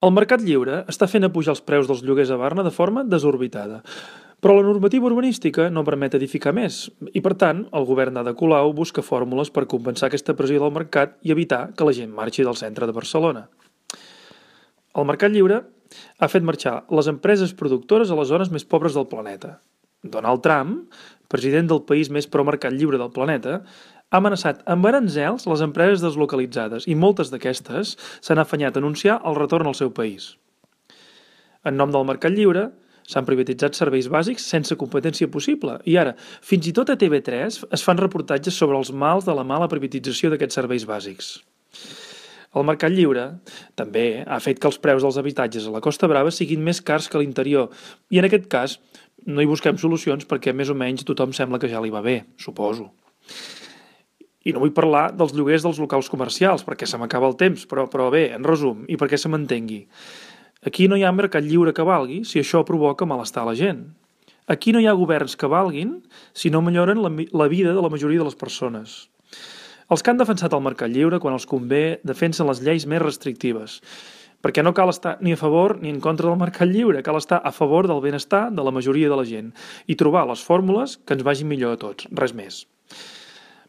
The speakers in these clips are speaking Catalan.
El mercat lliure està fent apujar els preus dels lloguers a Barna de forma desorbitada, però la normativa urbanística no permet edificar més i, per tant, el govern d'Ada Colau busca fórmules per compensar aquesta pressió del mercat i evitar que la gent marxi del centre de Barcelona. El mercat lliure ha fet marxar les empreses productores a les zones més pobres del planeta. Donald Trump, president del país més pro-mercat lliure del planeta, ha amenaçat amb aranzels les empreses deslocalitzades i moltes d'aquestes s'han afanyat a anunciar el retorn al seu país. En nom del mercat lliure, s'han privatitzat serveis bàsics sense competència possible i ara, fins i tot a TV3 es fan reportatges sobre els mals de la mala privatització d'aquests serveis bàsics. El mercat lliure també ha fet que els preus dels habitatges a la Costa Brava siguin més cars que a l'interior i en aquest cas no hi busquem solucions perquè més o menys tothom sembla que ja li va bé, suposo. I no vull parlar dels lloguers dels locals comercials, perquè se m'acaba el temps, però bé, en resum, i perquè se m'entengui. Aquí no hi ha mercat lliure que valgui si això provoca malestar a la gent. Aquí no hi ha governs que valguin si no milloren la vida de la majoria de les persones. Els que han defensat el mercat lliure, quan els convé, defensen les lleis més restrictives, perquè no cal estar ni a favor ni en contra del mercat lliure, cal estar a favor del benestar de la majoria de la gent i trobar les fórmules que ens vagin millor a tots, res més.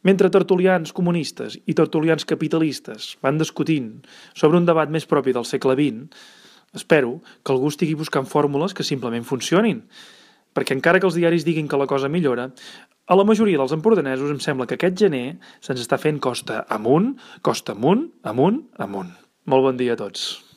Mentre tertulians comunistes i tertulians capitalistes van discutint sobre un debat més propi del segle XX, espero que algú estigui buscant fórmules que simplement funcionin, perquè encara que els diaris diguin que la cosa millora, a la majoria dels empordanesos em sembla que aquest gener se'ns està fent costa amunt, amunt. Molt bon dia a tots.